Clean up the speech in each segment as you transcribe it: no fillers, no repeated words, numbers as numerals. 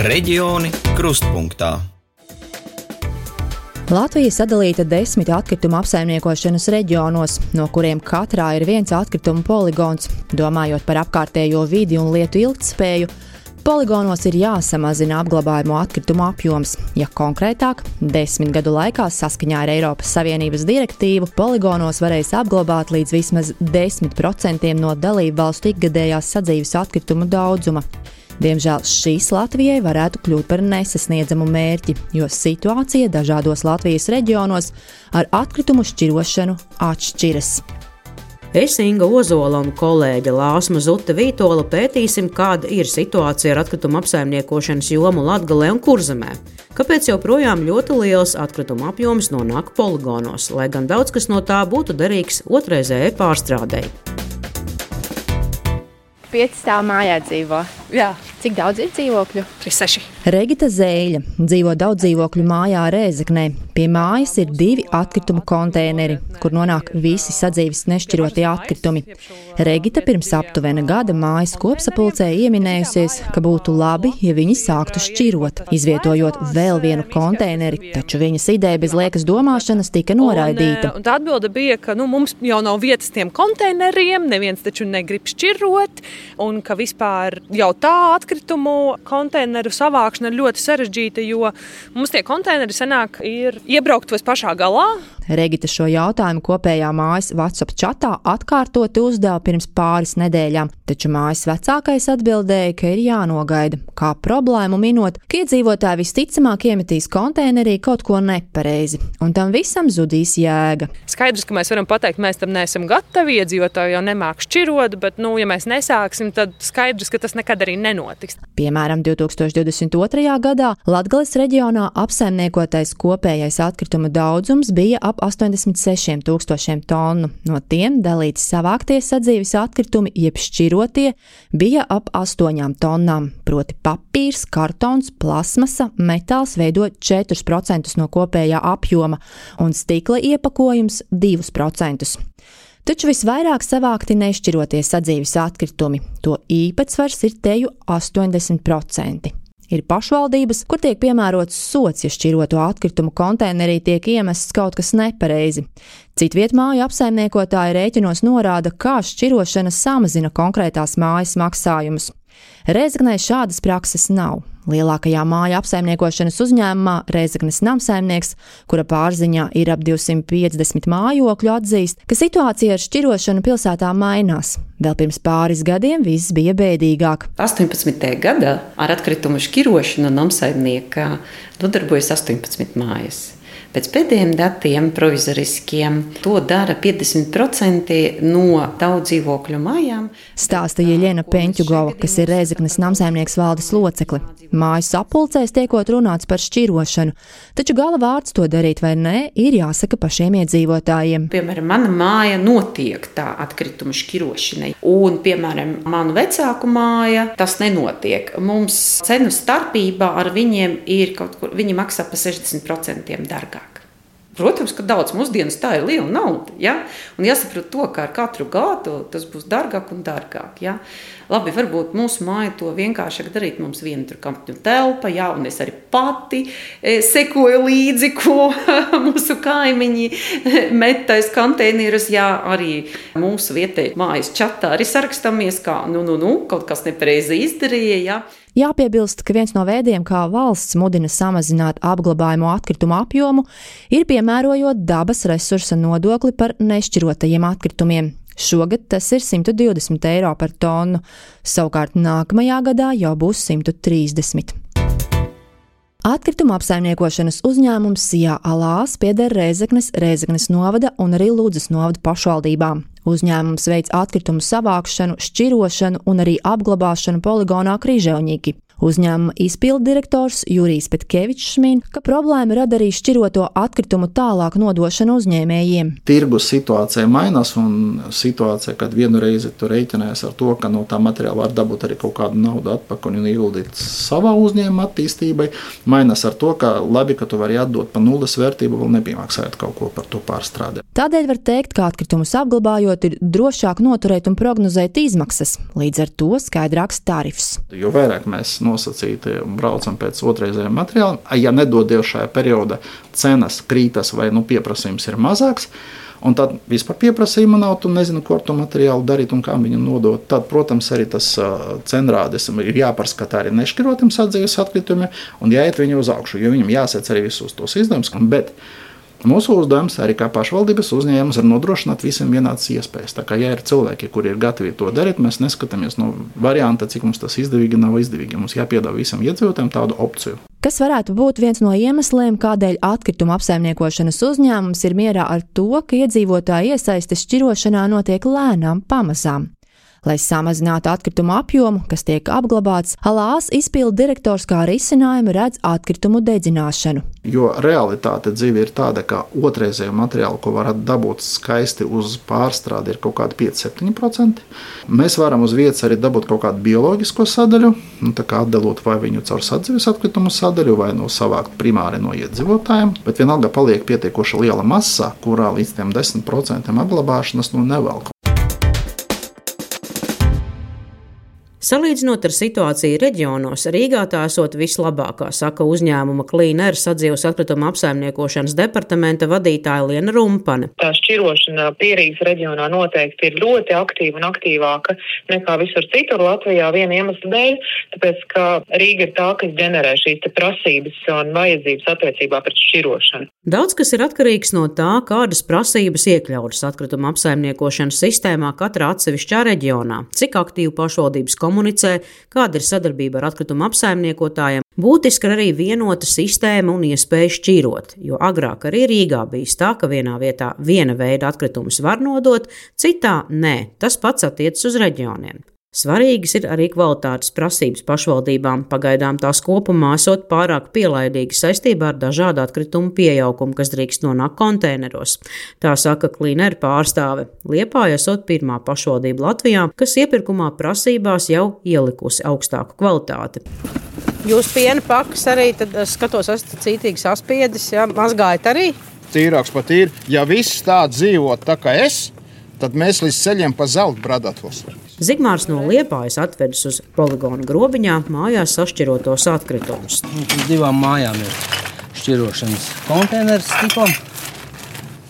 Reģioni krustpunktā. Latvija sadalīta 10 atkritumu apsaimniekošanas reģionos, no kuriem katrā ir viens atkritumu poligons. Domājot par apkārtējo vidi un lietu ilgtspēju, poligonos ir jāsamazina apglabājamo atkritumu apjoms. Ja konkrētāk, 10 gadu laikā saskaņā ar Eiropas Savienības direktīvu poligonos varēs apglabāt līdz vismaz 10% no dalību valstu ikgadējās sadzīves atkritumu daudzuma. Diemžēl šīs Latvijai varētu kļūt par nesasniedzamu mērķi, jo situācija dažādos Latvijas reģionos ar atkritumu šķirošanu atšķiras. Es, Inga Ozola un kolēģe Lāsma Zute Vītola pētīsim, kāda ir situācija ar atkritumu apsaimniekošanas jomu Latgalē un Kurzemē. Kāpēc joprojām ļoti liels atkritumu apjoms nonāk poligonos, lai gan daudz kas no tā būtu derīgs otrreizējai pārstrādei. 5 stāvu mājā dzīvo. Jā. Cik daudz ir dzīvokļu? 6. Regita Zēļa dzīvo daudz dzīvokļu mājā Rēzeknē. Pie mājas ir 2 atkritumu konteineri, kur nonāk visi sadzīves nešķirotie atkritumi. Regita pirms aptuvena gada mājas kopsapulcē ieminējusies, ka būtu labi, ja viņi sāktu šķirot, izvietojot vēl vienu konteineri, taču viņas ideja bez liekas domāšanas tika noraidīta. Un tā atbilde bija, ka mums jau nav vietas tiem konteineriem, neviens taču negrib šķirot, un ka vispār jau tā atkritumu konteineru savākšana ir ļoti sarežģīta, jo mums tie konteineri senāk ir iebrauktos pašā galā. Regita šo jautājumu kopējā mājas WhatsApp čatā atkārtoti uzdeva pirms pāris nedēļām, taču mājas vecākais atbildēja, ka ir jānogaida. Kā problēmu minot, ka iedzīvotāji visticamāk iemetīs konteinerī kaut ko nepareizi, un tam visam zudīs jēga. Skaidrs, ka mēs varam pateikt, mēs tam neesam gatavi, iedzīvotāji jau nemāk šķirot, bet, ja mēs nesāksim, tad skaidrs, ka tas nekad arī nenotiks. Piemēram, 2022. gadā Latgales reģionā apsaimniekotais kopējais atkrituma daudzums bija ap 86 000 tonu. No tiem dalīti savāktie sadzīves atkritumi, jeb šķirotie, bija ap 8 tonnām, proti papīrs, kartons, plasmasa, metāls veido 4% no kopējā apjoma un stikla iepakojums 2%. Taču visvairāk savākti nešķirotie sadzīves atkritumi. To īpatsvars ir teju 80%. Ir pašvaldības, kur tiek piemērots sods, ja šķiroto atkritumu konteinerī tiek iemests kaut kas nepareizi. Citviet māju apsaimniekotāji rēķinos norāda, kā šķirošana samazina konkrētās mājas maksājumus. Rēzeknē šādas prakses nav. Lielākajā māju apsaimniekošanas uzņēmumā Rēzeknes namsaimnieks, kura pārziņā ir ap 250 mājokļu, atzīst, ka situācija ar šķirošanu pilsētā mainās. Vēl pirms pāris gadiem viss bija bēdīgāk. 18. gadā ar atkritumu šķirošanu namsaimniekā nodarbojas 18 mājas. Pēc pēdējiem datiem provizoriskiem to dara 50% no daudz dzīvokļu mājām. Stāsta Jeļena Peņķugova, kas ir Rēzeknes namsaimnieks valdes locekli. Māju sapulcēs tiekot runāts par šķirošanu, taču gala vārds to darīt vai nē ir jāsaka pašiem iedzīvotājiem. Piemēram, mana māja notiek tā atkrituma šķirošanai, un, piemēram, manu vecāku māja tas nenotiek. Mums cenu starpībā ar viņiem ir kaut kur, viņi maksā pa 60% dārgāk. Protams, ka daudz mūsdienas tā ir liela nauda, ja? Un jāsaprot to, ka ar katru gadu tas būs dārgāk un dārgāk, ja? Labi, varbūt mūsu māja to vienkāršāk darīt, mums viena tur kampņu telpa, ja? Un es arī pati sekoju līdzi, ko mūsu kaimiņi metais konteinerus, ja arī mūsu vietēji mājas čatā arī sarakstāmies, kā kaut kas nepareizi izdarīja, ja? Jāpiebilst, ka viens no veidiem, kā valsts mudina samazināt apglabājamo atkritumu apjomu, ir piemērojot dabas resursa nodokli par nešķirotajiem atkritumiem. Šogad tas ir 120 eiro par tonu, savukārt nākamajā gadā jau būs 130. Atkrituma apsaimniekošanas uzņēmums Sijā Alās pieder Rēzeknes novada un arī Ludzas novada pašvaldībām. Uzņēmums veic atkritumu savākšanu, šķirošanu un arī apglabāšanu poligonā Križevņiki. Uzņēmuma izpilddirektors Jurijs Petkevičs min, ka problēma rada arī šķiroto atkritumu tālāk nodošanu uzņēmējiem. Tirgus situācija mainās, un situācija, kad vienu reizi tu rēķinājies ar to, ka no tā materiāla var dabūt arī kaut kādu naudu atpakaļ un ieguldīt savā uzņēmuma attīstībai, mainās ar to, ka labi, ka tu vari atdot pa nulles vērtību, vēl nebija maksājot kaut ko par to pārstrādē. Tādēļ var teikt, ka atkritumus apglabājot ir drošāk noturēt un prognozēt izmaksas, līdz ar to skaidrāks tarifs. Jo vairāk mēs nosacīti, braucam pēc otrreizējiem materiāliem. Ja nedod Dievs šajā periodā cenas krītas vai pieprasījums ir mazāks, un tad vispār pieprasījuma nav, tu nezinu, ko ar to materiālu darīt un kā viņu nodot. Tad, protams, arī tas cenrādes ir jāparskatā arī nešķirotiem sadzīves atkritumiem un jāiet viņu uz augšu, jo viņam jāsēc arī visus tos izdevumus. Bet mūsu uzdevums arī kā pašvaldības uzņēmums ir nodrošināt visiem vienādas iespējas. Tā kā, ja ir cilvēki, kuri ir gatavi to darīt, mēs neskatāmies no varianta, cik mums tas izdevīgi nav izdevīgi. Mums jāpiedāvā visam iedzīvotājiem tādu opciju. Kas varētu būt viens no iemesliem, kādēļ atkrituma apsaimniekošanas uzņēmums ir mierā ar to, ka iedzīvotāju iesaistes šķirošanā notiek lēnām pamazām. Lai samazinātu atkritumu apjomu, kas tiek apglabāts, Alās izpildu direktors kā risinājumu redz atkritumu dedzināšanu. Jo realitāte dzīve ir tāda, ka otrreizējo materiālu, ko varat dabūt skaisti uz pārstrādi, ir kaut kādi 5-7%. Mēs varam uz vietas arī dabūt kaut kādu bioloģisko sadaļu, tā kā atdalot vai viņu caur sadzīves atkritumu sadaļu, vai savākt primāri no iedzīvotājiem, bet vienalga paliek pietiekoši liela masa, kurā līdz tiem 10% apglabāšanas nevelk. Salīdzinot ar situāciju reģionos, Rīgā tā esot vislabākā, saka uzņēmuma Clean Air sadzīves atkrituma apsaimniekošanas departamenta vadītāja Liena Rumpane. Tā šķirošana Pierīgas reģionā noteikti ir ļoti aktīva un aktīvāka nekā visur citur Latvijā viena iemesla dēļ, tāpēc, ka Rīga ir tā, kas ģenerē šīs te prasības un vajadzības attiecībā pret šķirošanu. Daudz kas ir atkarīgs no tā, kādas prasības iekļautas atkrituma apsaimniekošanas sistēmā katrā atsevišķā reģionā, cik aktīvi pašvaldības komunicē, kāda ir sadarbība ar atkrituma apsaimniekotājiem. Būtiski ir arī vienota sistēma un iespēja šķirot, jo agrāk arī Rīgā bijis tā, ka vienā vietā viena veida atkritumus var nodot, citā nē. Tas pats attiecas uz reģioniem. Svarīgas ir arī kvalitātes prasības pašvaldībām, pagaidām tās kopumā esot pārāk pielaidīgas saistībā ar dažādu atkritumu pieaugumu, kas drīkst nonākt konteineros. Tā saka Clean Air pārstāve. Liepāja esot pirmā pašvaldība Latvijā, kas iepirkumā prasībās jau ielikusi augstāku kvalitāti. Jūs piena pakas arī, tad skatos, esat cītīgi saspiedis, ja? Mazgājat arī? Tīrāks pat ir. Ja viss tā dzīvot tā kā es, tad mēs līdz ceļiem pa zeltu bradatos. Zigmārs no Liepājas atvedis uz poligonu Grobiņā mājās sašķirotos atkritumus. Divām mājām ir šķirošanas konteineris tipam.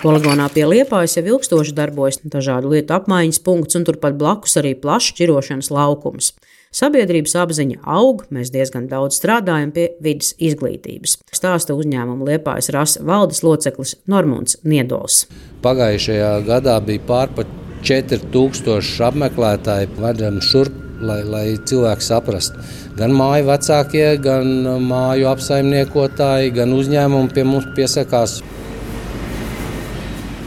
Poligonā pie Liepājas jau ilgstoši darbojas dažādu lietu apmaiņas punkts un turpat blakus arī plašs šķirošanas laukums. Sabiedrības apziņa aug, mēs diezgan daudz strādājam pie vides izglītības. Stāsta uzņēmuma Liepājas rasa valdes loceklis Normunds Niedols. Pagājušajā gadā bija pārpat 4000 apmeklētāji vedam šurp, lai cilvēki saprastu. Gan māju vecākie, gan māju apsaimniekotāji, gan uzņēmumi pie mums piesakās.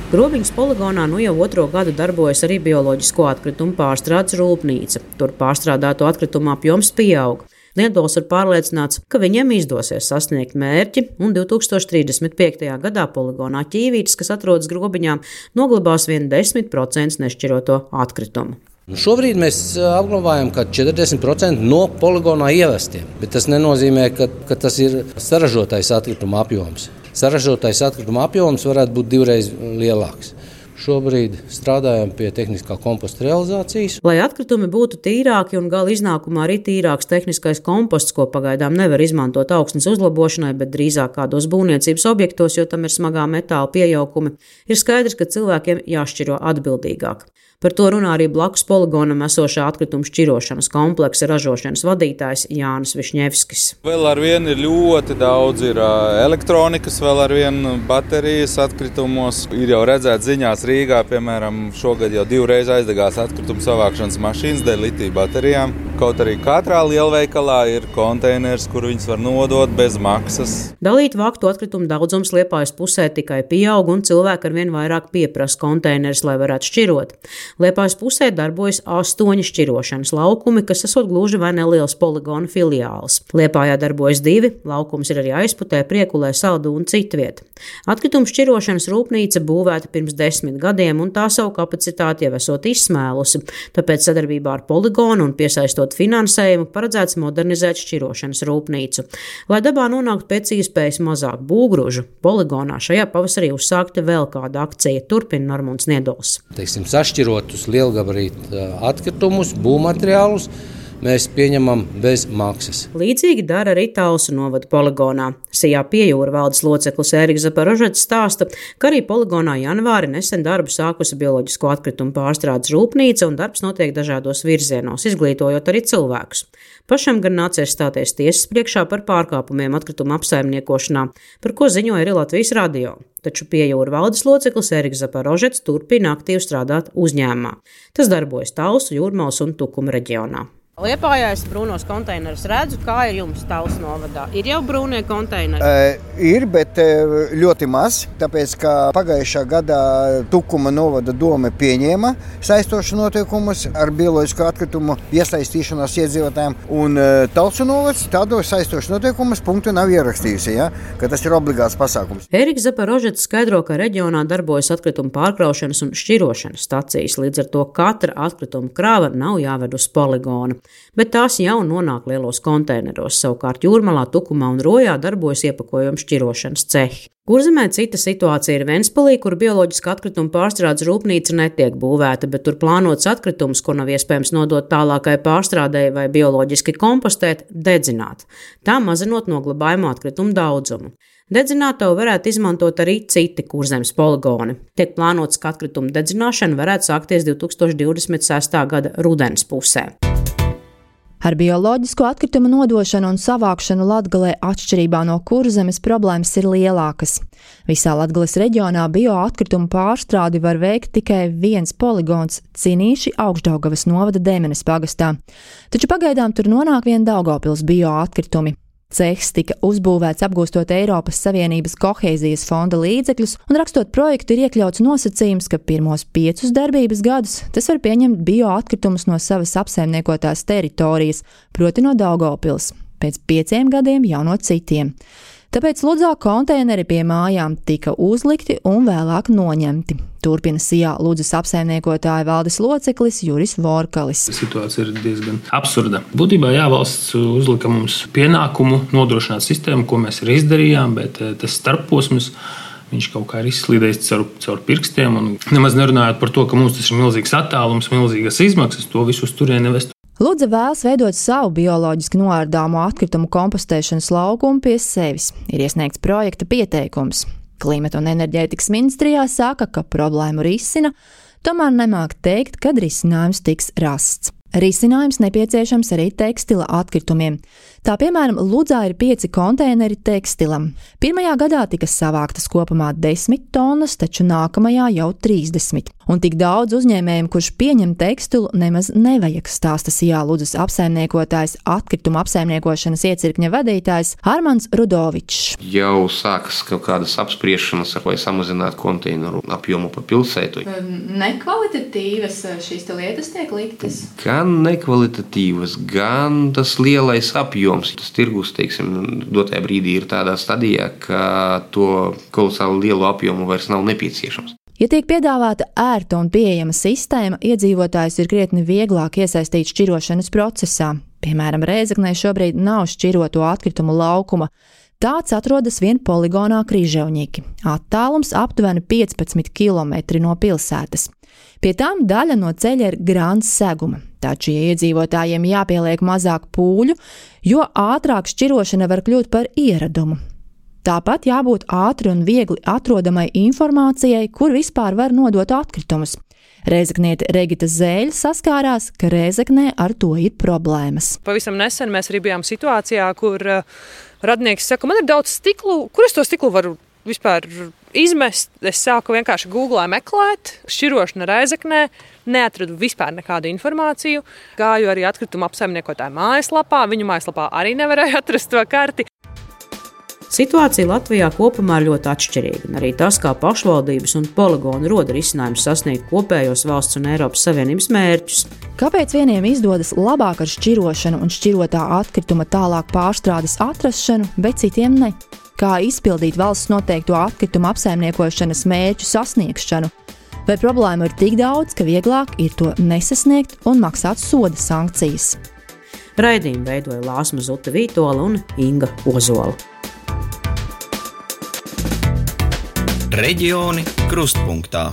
Grobiņas poligonā jau 2. gadu darbojas arī bioloģisko atkritumu pārstrādes rūpnīca. Tur pārstrādāto atkritumu apjoms pieaug. Niedols ir pārliecināts, ka viņiem izdosies sasniegt mērķi, un 2035. gadā poligonā Ķīvītis, kas atrodas Grobiņā, noglabās vien 10% nešķiroto atkritumu. Šobrīd mēs apglabājam 40% no poligonā ievestiem, bet tas nenozīmē, ka tas ir saražotais atkrituma apjoms. Saražotais atkrituma apjoms varētu būt 2 reizes lielāks. Šobrīd strādājam pie tehniskā komposta realizācijas. Lai atkritumi būtu tīrāki un gala iznākumā arī tīrāks tehniskais komposts, ko pagaidām nevar izmantot augsnes uzlabošanai, bet drīzāk kādos būvniecības objektos, jo tam ir smagā metāla piejaukumi, ir skaidrs, ka cilvēkiem jāšķiro atbildīgāk. Par to runā arī blakus poligonam esošā atkritumu šķirošanas kompleksa ražošanas vadītājs Jānis Višņevskis. Vēl ar vienu ir ļoti daudz elektronikas, vēl ar vienu baterijas atkritumos. Ir jau redzēts ziņās Rīgā, piemēram, šogad jau 2 reizes aizdegās atkritumu savākšanas mašīnas dēļ litija baterijām. Kaut arī katrā lielveikalā ir konteiners, kur viņus var nodot bez maksas. Dalīt vāktu atkritumu daudzums Liepājas pusē tikai pieaug un cilvēki arvien vairāk pieprasa konteinerus, lai varētu šķirot. Liepājas pusē darbojas 8 šķirošanas laukumi, kas esot gluži vai nelielas poligona filiāls. Liepājā darbojas 2, laukums ir arī Aizputē, Priekulē, Saldu un citviet. Atkritumu šķirošanas rūpnīca būvēta pirms 10 gadiem un tā savu kapacitāti jau esot izsmēlusi, tāpēc sadarbībā ar poligonu un piesaistot finansējumu paredzēts modernizēt šķirošanas rūpnīcu. Lai dabā nonāktu pēc iespējas mazāk būgružu, poligonā šajā pavasarī uzsākta vēl kāda akcija, turpina Normunds Niedols. Sašķirotus lielgabarītu atkritumus, būvmateriālus, mēs pieņemam bez maksas. Līdzīgi dara arī Talsu novada poligonā. Sijā Piejūra valdes loceklis Ēriks Zaporožets stāsta, ka arī poligonā janvāri nesen darbu sākusi bioloģisko atkritumu pārstrādes rūpnīca un darbs notiek dažādos virzienos, izglītojot arī cilvēkus. Pašam gan nācies stāties tiesas priekšā par pārkāpumiem atkritumu apsaimniekošanā, par ko ziņoja arī Latvijas radio. Taču Piejūra valdes loceklis Ēriks Zaporožets turpina aktīvi strādāt uzņēmumā. Tas darbojas Talsu, Jūrmalas un Tukuma reģionā. Liepājā es brūnos konteinerus redzu, kā ir jums Talsu novadā. Ir jau brūnie konteineri? Ir, bet ļoti maz, tāpēc, ka pagājušā gadā Tukuma novada dome pieņēma saistošu noteikumus ar bioloģisko atkritumu iesaistīšanos iedzīvotājiem, un Talsu novads tādos saistošu noteikumus punktu nav ierakstījusi, ka tas ir obligāts pasākums. Ēriks Zaporožets skaidro, ka reģionā darbojas atkritumu pārkraušanas un šķirošanas stacijas, līdz ar to katra atkrituma krāva nav jāved uz poligonu. Bet tās jau nonāk lielos konteineros, savukārt Jūrmalā, Tukumā un Rojā darbojas iepakojuma šķirošanas cehi. Kurzemē cita situācija ir Ventspilī, kur bioloģiska atkrituma pārstrādes rūpnīca netiek būvēta, bet tur plānots atkritumus, ko nav iespējams nodot tālākai pārstrādēji vai bioloģiski kompostēt, dedzināt, tā mazinot noglabājumu atkritumu daudzumu. Dedzinātavu varētu izmantot arī citi Kurzemes poligoni. Tiek plānots, ka atkritumu dedzināšana varētu sākties 2026. gada rudens pusē. Ar bioloģisko atkritumu nodošanu un savākšanu Latgalē atšķirībā no Kurzemes problēmas ir lielākas. Visā Latgales reģionā bioatkritumu pārstrādi var veikt tikai viens poligons – Cinīši Augšdaugavas novada Demenes pagastā. Taču pagaidām tur nonāk vien Daugavpils bioatkritumi. Cehs tika uzbūvēts apgūstot Eiropas Savienības kohēzijas fonda līdzekļus, un rakstot projektu ir iekļauts nosacījums, ka pirmos 5 darbības gadus tas var pieņemt bioatkritumus no savas apsaimniekotās teritorijas, proti no Daugavpils, pēc 5 gadiem jau no citiem. Tāpēc Ludzā konteineri pie mājām tika uzlikti un vēlāk noņemti. Turpina Sijā Ludzas apsaimniekotāja valdes loceklis Juris Vorkalis. Situācija ir diezgan absurda. Būtībā valsts uzlika mums pienākumu nodrošināt sistēmu, ko mēs arī izdarījām, bet tas starpposms viņš kaut kā ir izslīdējis caur pirkstiem. Un nemaz nerunājot par to, ka mums tas ir milzīgs attālums, milzīgas izmaksas, to visu uz turieni nevest. Ludza vēlas veidot savu bioloģiski noārdāmo atkritumu kompostēšanas laukumu pie sevis. Ir iesniegts projekta pieteikums. Klimata un enerģētikas ministrijā saka, ka problēmu risina, tomēr nemāk teikt, kad risinājums tiks rasts. Risinājums nepieciešams arī tekstila atkritumiem. Tā piemēram, Ludzā ir 5 konteineri tekstilam. Pirmajā gadā tika savāktas kopumā 10 tonnas, taču nākamajā jau 30. Un tik daudz uzņēmējiem, kurš pieņem tekstilu, nemaz nevajag, stāsta Sijā Ludzas apsaimniekotājs, atkrituma apsaimniekošanas iecirkņa vadītājs Armands Rudovičs. Jau sākas kaut kādas apspriešanas, vai samazināt konteineru apjomu pa pilsētu. Nekvalitatīvas šīs lietas tiek liktas? Gan nekvalitatīvas, gan tas lielais apjoms. Tas tirgus, dotajā brīdī ir tādā stadijā, ka to kolosāli lielu apjomu vairs nav nepieciešams. Ja tiek piedāvāta ērta un pieejama sistēma, iedzīvotājus ir krietni vieglāk iesaistīt šķirošanas procesā. Piemēram, Rēzeknē šobrīd nav šķiroto atkritumu laukuma. Tāds atrodas vien poligonā Križevņiki. Attālums aptuveni 15 km no pilsētas. Pie tām daļa no ceļa ir grāns seguma. Taču, ja iedzīvotājiem jāpieliek mazāk pūļu, jo ātrāk šķirošana var kļūt par ieradumu. Tāpat jābūt ātri un viegli atrodamai informācijai, kur vispār var nodot atkritumus. Rēzekniete Regita Zēļa saskārās, ka Rēzeknē ar to ir problēmas. Pavisam nesen mēs arī bijām situācijā, kur radnieks saka, man ir daudz stiklu, kur es to stiklu varu vispār izmest. Es sāku vienkārši Googlē meklēt, šķirošana Rēzeknē, neatradu vispār nekādu informāciju. Gāju arī atkrituma apsaimniekotāja mājaslapā, viņu mājaslapā arī nevarēju atrast to karti. Situācija Latvijā kopumā ir ļoti atšķirīga, un arī tas, kā pašvaldības un poligoni roda risinājumus sasniegt kopējos valsts un Eiropas Savienības mērķus. Kāpēc vieniem izdodas labāk ar šķirošanu un šķirotā atkrituma tālāk pārstrādes atrašanu, bet citiem ne? Kā izpildīt valsts noteikto atkritumu apsaimniekošanas mērķu sasniegšanu? Vai problēma ir tik daudz, ka vieglāk ir to nesasniegt un maksāt soda sankcijas? Raidījumu veidoja Lāsma Zuta Vītola un Inga Ozola. Reģioni krustpunktā.